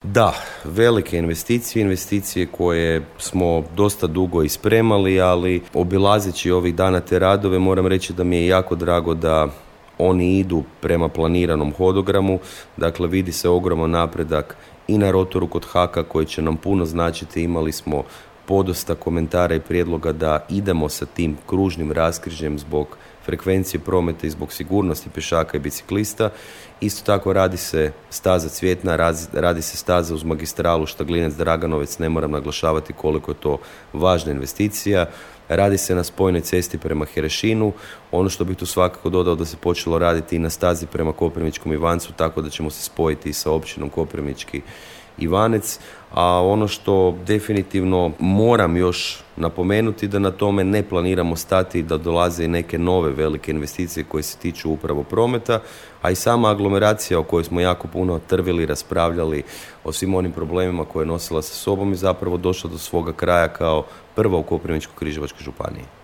Da, velike investicije koje smo dosta dugo ispremali, ali obilazeći ovih dana te radove moram reći da mi je jako drago da oni idu prema planiranom hodogramu. Dakle, vidi se ogroman napredak i na rotoru kod Haka koji će nam puno značiti. Imali smo podosta komentara i prijedloga da idemo sa tim kružnim raskrižjem zbog frekvencije prometa i zbog sigurnosti pješaka i biciklista. Isto tako radi se staza Cvjetna, radi se staza uz magistralu Štaglinec-Draganovec, ne moram naglašavati koliko je to važna investicija. Radi se na spojnoj cesti prema Herešinu. Ono što bih tu svakako dodao da se počelo raditi i na stazi prema Koprivničkom Ivancu, tako da ćemo se spojiti sa općinom Koprivnički Ivanec, a ono što definitivno moram još napomenuti da na tome ne planiramo stati, da dolaze i neke nove velike investicije koje se tiču upravo prometa, a i sama aglomeracija o kojoj smo jako puno trvili, raspravljali o svim onim problemima koje je nosila sa sobom i zapravo došla do svoga kraja kao prva u Koprivničko-križevačkoj županiji.